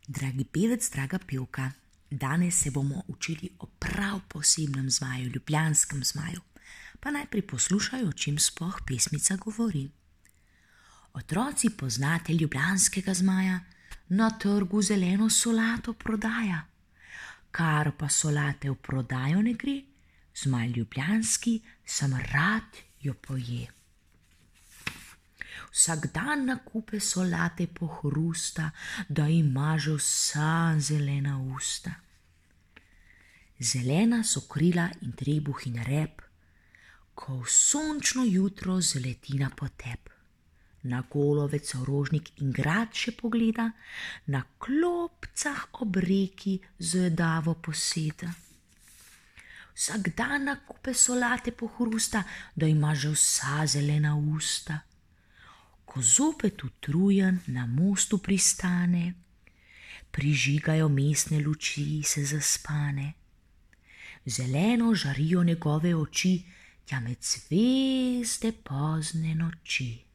Dragi pevec, draga pevka, danes se bomo učili o prav posebnem zmaju, ljubljanskem zmaju. Pa najprej poslušaj, o čem sploh pesmica govori. Otroci, poznate ljubljanskega zmaja? Na trgu zeleno solato prodaja. Kar pa solate v prodajo ne gre, zmaj ljubljanski sam rad jo poje. Vsak dan na kupe solate pohrusta, da ima že vsa zelena usta. Zelena so krila in trebuh in rep, ko v sončno jutro zaleti na potep. Na golovec rožnik in grad še pogleda, na klopcah ob reki zvedavo poseda. Vsak dan na kupe solate pohrusta, da ima že vsa zelena usta. Ko zopet utrujen na mostu pristane, prižigajo mestne luči se zaspane. Zeleno žarijo njegove oči, tja med zvezde pozne noči.